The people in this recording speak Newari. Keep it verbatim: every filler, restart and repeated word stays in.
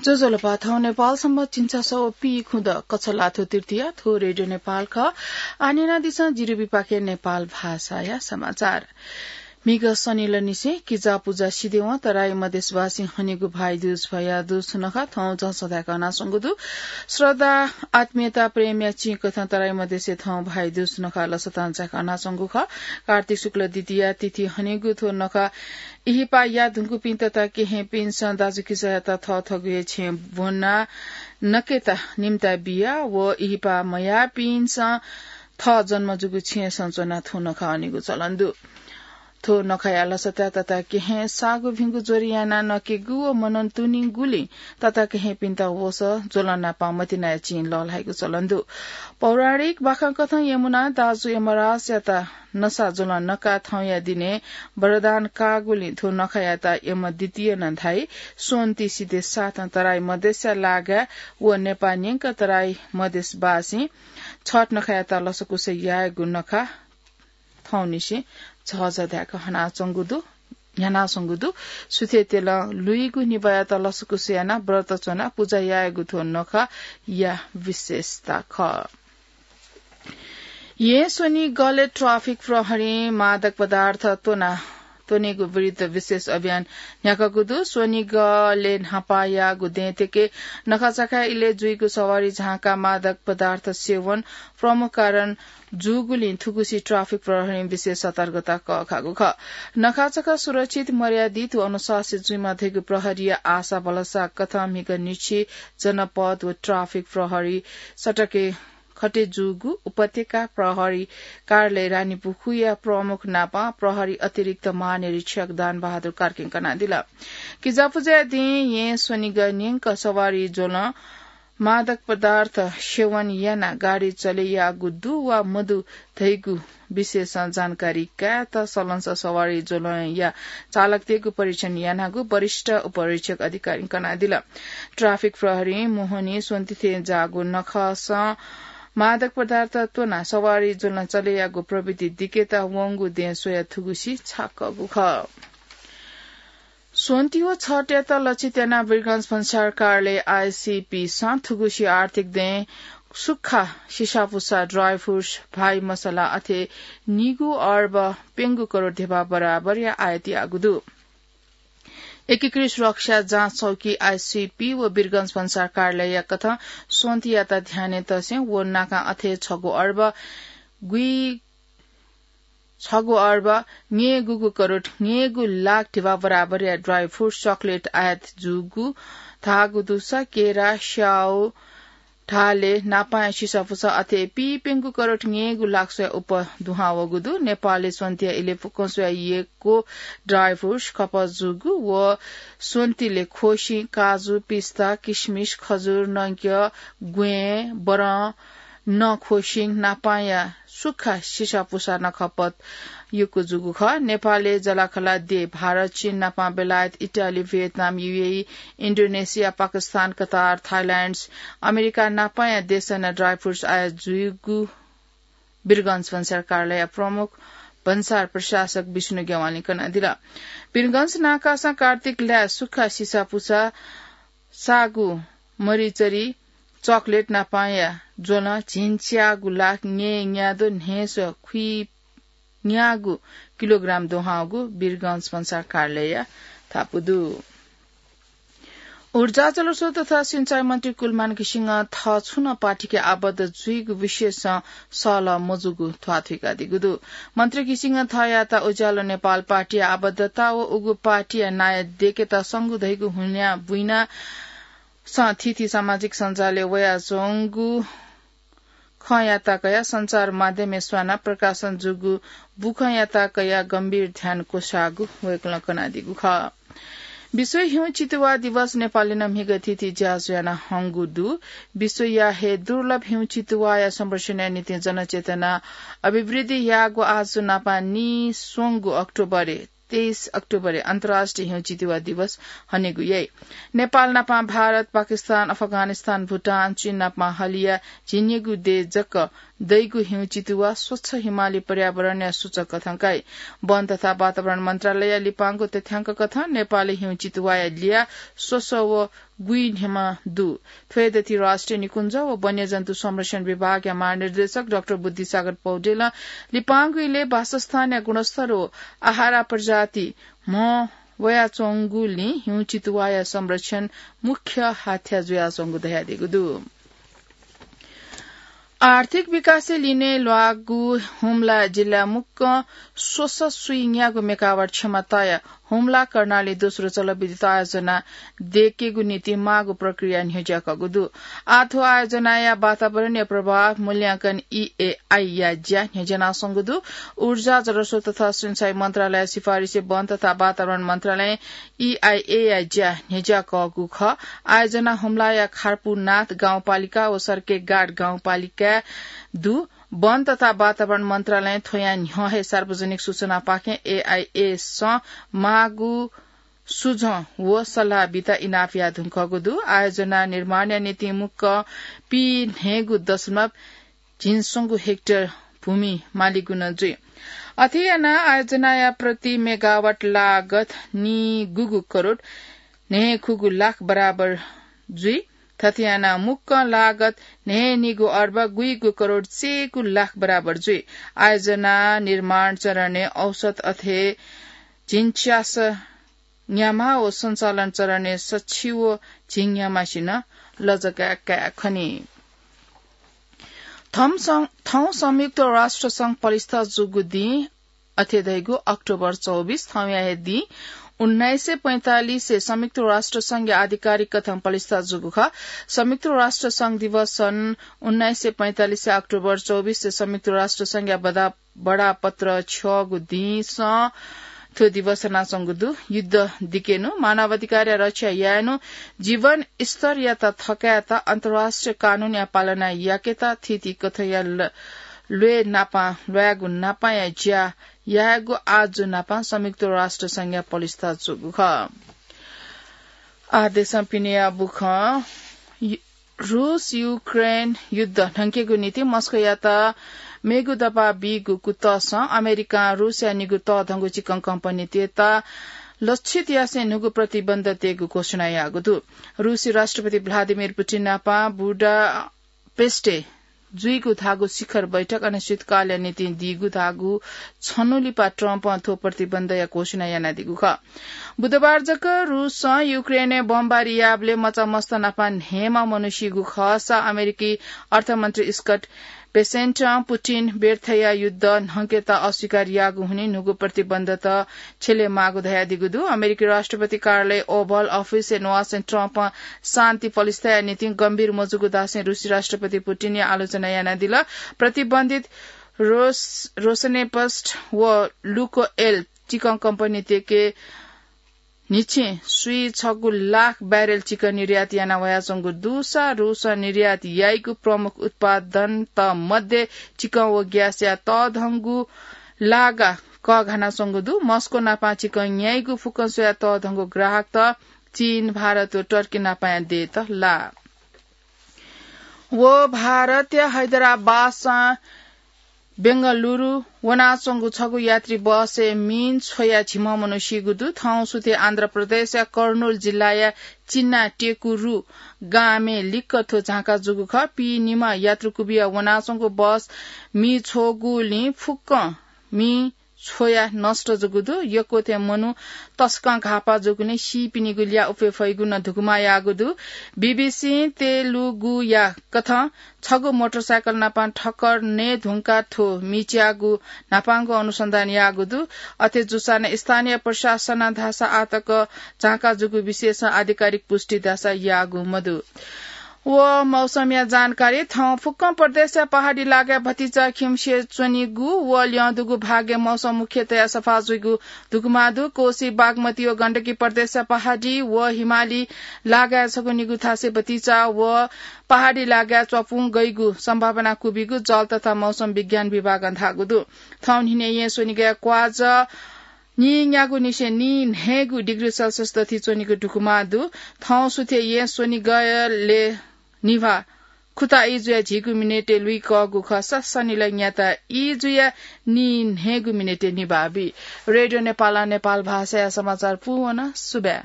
ज्वजलपा, थौं नेपाल संवत् झिंछसः व पीखुदँ कछलाथ्व तृतीया, थ्व रेडियो नेपाल खः। आः न्यनादिसँ जिरिबी पाखें नेपाल भाषाया समाचार। म्हिगः शनिलनिसें किजा पुजा सिधेवं तराई मधेसवासीं हनीगु भाइदुज भयादुज नखः थौं झसः धायेक हनाच्वंगु दु। श्रद्धा, आत्मीयता, प्रेमया चिं कथं तराई मधेसय् थौं भाइदुज नखः लसतां जायेक हनाच्वंगु खः। कार्तिक शुक्ल द्वितीया तिथि हनीगु थ्व नखः इहिपाया धुंकूपिं तता केहेँपिन्सं दाजुकिजायात थःथःगु हे छेँय् ब्वना नकेता निम्ता बिया व इहिपा मयाःपिन्सं थः जन्म जूगु छेँय् च्वनाः थ्व नखः हनीगु चलन दु। थ्व नखःया लसताय् तता केहेँ साःगु भिंगु ज्वर यानाः नकेगु व मनंतुनिगुलिं तता केहेँपिन्त वसः ज्वलं नापं मतिनाया चिं लःल्हाइगु चलन दु। पौराणिक बाखं कथं यमुनां दाजु यमराजयात नसा ज्वलं नकाः थौंया दिनय् वरदान काःगुलिं थ्व नखःयात यम द्वितीय नं धाइ। स्वन्ति सिधे साथं तराई मधेसया लागाय् व नेपाः न्यंक तराई मधेसवासीं छठ नखःयात लसकुस यायेगु नखः थौंनिसें झःझः धायेक हनाच्वंगु दु, न्ह्यानाच्वंगु दु। सुथय् तेलं लुइगु निभाःयात लसकुस यानाः व्रत च्वनाः पुजा यायेगु थ्व नखःया विशेषता खः। येँ स्वनिगलय् ट्राफिक प्रहरीं मादक पदार्थ त्वना, त्वनेगु विरुद्ध विशेष अभियान न्ह्याकागु दु। स्वनिगलय् न्हापायागु दँय्‌तय्‌के नखाचाखाय् इलय् जुइगु सवारी झांकाः मादक पदार्थ सेवन प्रमुख कारण जूगुलिं थुगुसी ट्राफिक प्रहरीं विशेष सतर्कता कःघाःगु खः। नखाचाखा सुरक्षित, मर्यादित व अनुशासित जुइमा धइगु प्रहरीया आशा भलसा कथं म्हिगः न्हिछि जनपद व ट्राफिक प्रहरी सडकय् खटे जूगु उपत्यका प्रहरी कार्यालय रानीपुखुया प्रमुख नापं प्रहरी अतिरिक्त महानिरीक्षक दान बहादुर कार्कीं कनादिल। किजापुजाया दिं येँ स्वनिगः न्यंक सवारी ज्वलं मादक पदार्थ सेवन यानाः गाडी चले याःगु दु वा मदु धइगु विषयसं जानकारी कायेत सलंसः सवारी ज्वलंया चालकतय्‌गु परीक्षण यानागु वरिष्ठ उपरीक्षक अधिकारीं कनादिल। ट्राफिक प्रहरीं मोहनी स्वन्ति थें जाःगु नखःसं मादक पदार्थ त्वनाः सवारी ज्वलं चले याःगु प्रवृत्ति दिकेत वंगु दँय् स्वयाः थुगुसी छाकःगु खः। स्वन्ति व छठयात लक्षित यानाः वीरगंज भन्सार कार्यालय आइसिपीसं थुगुसी आर्थिक दँय् सुक्खा, सिसापुसा, ड्राई फ्रुट्स, भाइ मसला अथे निगू अर्ब प्यंगू करोड धेबा बराबरया आयात याःगु दु। एकीकृत सुरक्षा जाँच चौकी आइसिपी व वीरगंज भन्सार कार्यालयया कथं स्वन्तियात ध्यानय् तसें व नाकां अथे छगू अर्ब गुइ छगू अर्ब न्यय्‌गूगू करोड न्यय्‌गू लाख धेबा बराबरया ड्राई फ्रुट्स, चकलेट आयात जूगु धाःगु दुसा केरा, स्याउ, ढाले, नापांया सिसापुसा अथे पीप्यंगू करोड न्यय्‌गू लाख स्वया उप दुहां वःगु दु। नेपालय् स्वन्तिया इलय् फुक्कं स्वया यक्व ड्राई फ्रुट्स खपत जूगु व स्वन्तिले खोसिं, काजु, पिस्ता, किसमिस, खजुर, नंक्य, ग्वें, बरं, नं खोसिं नापांया सुक्खा सिसापुसा नं खपत यक्व जूगु खः। नेपालय् जलाखला देय् भारत, चीन नापां बेलायत, इटाली, भियतनाम, युएई, इन्डोनेसिया, पाकिस्तान, कतार, थाइल्याण्ड, अमेरिका नापांया देशय् नं ड्राई फ्रुट्स आयात जूगु वीरगंज भन्सार कार्यालयया प्रमुख भन्सार प्रशासक विष्णु गेवालीं कनादिल। वीरगंज नाकासं कार्तिक लाय् सुक्खा सिसापुसा, सागु, मरिचरी, चकलेट नापांया ज्वलं झिंच्यागू लाख न्यय् न्याद्वः न्हय्‌स्वः खुइन्यागू किलोग्राम दुहां वःगु वीरगंज भन्सार कार्यालयया धापू दु। ऊर्जा, जलस्रोत तथा सिँचाइ मन्त्री कुलमान घिसिङं थः छुं नं पार्टीके आबद्ध जुइगु विषयसं सहलह मजूगु ध्वाथुइकादीगु दु। मन्त्री घिसिङं थःयात उज्यालो नेपाल पार्टीया आबद्धता व उगु पार्टीया नायः देकेत संगु धइगु हुनिया बुइना सं थीथी सामाजिक सञ्जालय् वयाच्वंगु खँयात कयाः सञ्चार माध्यमय् स्वानाः प्रकाशन जूगु बुखँयात कयाः गम्भीर ध्यान क्वसाःगु वय्‌कलं कनादीगु खः। विश्व हिउँचितुवा दिवस नेपालय् नं म्हिगः थीथी ज्याझ्वः याना हंगु दु। विश्वया हे दुर्लभ हिउँचितुवाया संरक्षणया निंतिं जनचेतना अभिवृद्धि याःगु आजु नापं नीस्वंगु अक्टोबरय् तेइस अक्टोबरय् अन्तर्राष्ट्रिय हिउँचितुवा दिवस हनेगु याइ। नेपाल नापं भारत, पाकिस्तान, अफगानिस्तान, भुटान, चीन नापं हलिया झिंनिगू देय् जक दइगु हिउँचितुवा स्वच्छ हिमाली पर्यावरणया सूचक कथं काइ। वन तथा वातावरण मन्त्रालयया लिपांगु तथ्यांक कथं नेपालय् हिउँचितुवाया ल्याः स्वस्वः व गुइन्हेमा दु। थ्वय् दथि राष्ट्रिय निकुञ्ज व वन्यजन्तु संरक्षण विभागया महानिर्देशक डाक्टर बुद्धिसागर पौडेलं लिपांगु इलय् वासस्थानया गुणस्तर व आहारा प्रजाति म्ह वयाच्वंगुलिं हिउँ चितुवाया संरक्षण मुख्य हाथ्या जुयाच्वंगु धयादीगु दु। आर्थिक विकासय् लिने ल्वाःगु हुम्ला जिल्ला मुक्कं स्वसः सुइन्यागू मेगावाट क्षमताया हुम्ला कर्णाली दोस्रो जलविद्युत आयोजना दयेकेगु निंतिं माःगु प्रक्रिया न्ह्यज्याकःगु दु। आः थ्व आयोजनाया वातावरणीय प्रभाव मूल्यांकन ईएआई या ज्या न्ह्यज्यानाच्वंगु दु। ऊर्जा, जलस्रोत तथा सिंचाई मन्त्रालय सिफारिसे वन तथा वातावरण मन्त्रालय ईआईए या ज्या न्ह्यज्याकःगु खः। आयोजना हुम्लाया खारपुनाथ गाउँपालिका व सर्केगाड गाउँपालिकाय् दु। वन तथा वातावरण मन्त्रालयं थ्वयां न्ह्यः हे सार्वजनिक सूचनापाखें एआईएसं माःगु सुझं व सल्लाह बिता इनाप याये धुंकूगु दु। आयोजना निर्माणया निंतिं मुक्कं पीन्हय्गू दशमलव झिंस्वंगू हेक्टर भूमि मालिक नं जुइ। अथे यानाः आयोजनाया प्रति मेगावाट लागत निगूगू करोड न्हय्खुगू लाख बराबर जुइ। थथे यानाः मुक्कं लागत न्हय्निगू अर्ब गुइगू करोड चय्गू लाख बराबर जुइ। आयोजना निर्माण चरणय् औसत अथे झिंच्यास न्याम्ह व सञ्चालन चरणय् सछि व झिंन्याम्हसिनं लजगाः काये खनी। थौं सं-, थौं संयुक्त राष्ट्र संघ पलिस्था जूगु दिं अथे धइगु अक्टोबर चौबिस थौंया हे दिं उन्नाइस सय पैंतालिसय् संयुक्त राष्ट्र संघया आधिकारिक कथं पलिस्था जूगु खः। संयुक्त राष्ट्र संघ दिवस सन् उन्नाइस सय पैंतालिसय् अक्टोबर चौबिसय् संयुक्त राष्ट्र संघया बडा-, बडापत्र छ्यःगु दिंसं थ्व दिवस हनाच्वंगु दु। युद्ध दिकेनु, मानवाधिकारया रक्षा यायेनु, जीवन स्तरयात थकायेत अन्तर्राष्ट्रिय कानूनया पालना याकेत थीथी कथंया ल-, ल्वय् नापं ल्वायेगु नापंया ज्या यायेगु आजु नापं संयुक्त राष्ट्र संघया पलिस्था जूगु खः। आः देशं पिनेया बुखँ। यु-, रूस युक्रेन युद्ध न्हंकेगु निंतिं मस्कोयात मेगु दबाब बीगु कुतःसं अमेरिकां रूसया निगू तःधंगु चिकं कम्पनीतय्त लक्षित यासें न्हूगु प्रतिबन्ध तयेगु घोषणा याःगु दु। रूसी राष्ट्रपति भ्लादिमिर पुटिन नापं बुडापेस्टय् जुइगु धाःगु शिखर बैठक अनिश्चितकालया निंतिं दीगु धाःगु छन्हु लिपा ट्रम्पं थ्व प्रतिबन्धया घोषणा यानादीगु खः। बुधबार जक रूसं युक्रेनय् बमबारी याःबलय् मचा मस्त नापं न्हय्म्ह मनू सीगु खःसा अमेरिकी अर्थमन्त्री स्कट बेसेन्टं पुटिन व्यर्थया युद्ध न्हंकेत अस्वीकार याःगु हुनिं न्हूगु प्रतिबन्धत छ्यले माःगु धयादीगु दु। अमेरिकी राष्ट्रपति कार्यालय ओभल अफिसय् न्ववासें ट्रम्पं शान्ति पलिस्थाया निंतिं गम्भीर मजूगु धासें रूसी राष्ट्रपति पुटिनया आलोचना यानादिल। प्रतिबन्धित रोस-, रोसनेपस्ट व लुकोएल चिकं कम्पनीतय्के न्हिच्छिं स्वीछगू लाख ब्यारेल चिकं निर्यात याना वयाच्वंगु दुसा रूसं निर्यात याइगु प्रमुख उत्पादनत मध्ये चिकं व ग्यासया तःधंगु लागा कःघानाच्वंगु दु। मस्को नापं चिकं न्याइगु फुक्कं स्वयाः तःधंगु ग्राहकत चीन, भारत व टर्की नापंया देय्त लाः। व भारतया हैदराबादसं बेंगलुरु वनाच्वंगु छगू यात्री बसय् मिं छ्वयाः झिम्ह मनू सीगु दु। थौं सुथय् आन्ध्र प्रदेशया कर्नूल जिल्लाया चिन्ना टेकुरु गामय् लिक्क थ्व झांका जूगु खः। पीनिम्ह यात्रु कुबिया वनाच्वंगु बस मिं छ्वःगुलिं फुक्कं मिं छ्वयाः नष्ट जूगु दु। यक्व थें मनू तसकं घाःपाः जूगुलिं सीपिनिगु ल्याः उफे फइगु नं धुकुमा याःगु दु। बीबीसीं तेलुगुया कथं छगू मोटरसाइकल नापं ठक्कर नये धुंकाः थ्व मिच्याःगु न्हापांगु अनुसन्धान याःगु दु। अथे जूसां नं स्थानीय प्रशासनं धाःसा आःतक झांका जूगु विषयसं आधिकारिक पुष्टि धाःसा याःगु मदु। व मौसमया जानकारी। थौं फुक्कं प्रदेशया पहाडी लागाय् भतिचा खिउँसे च्वनीगु व ल्यं दुगु भागय् मौसम मुख्यतया सफा जुइगु धुकुमा दु। कोशी, बागमती व गण्डकी प्रदेशया पहाडी व हिमाली लागाय् छगू निगू थासय् भतिचा व पहाडी लागाय् च्वापुं गइगु सम्भावना कुबिगु जल तथा मौसम विज्ञान विभागं धाःगु दु। थौं न्हिनय् येँ स्वनिगःया क्वाजः नीन्यागू निसें नीन्हय्गू डिग्री सेल्सियस दथि च्वनीगु धुकुमा दु। थौं सुथय् येँ स्वनिगलय् निभाः खुता ई जुयाः झिगू मिनेटय् लुइकःगु खःसा सनिलय् न्याता ई जुयाः नीन्हय्गू मिनेटय् निभाः बी। रेडियो नेपालं नेपाल भाषाया समाचार पूवन। सुभाय्।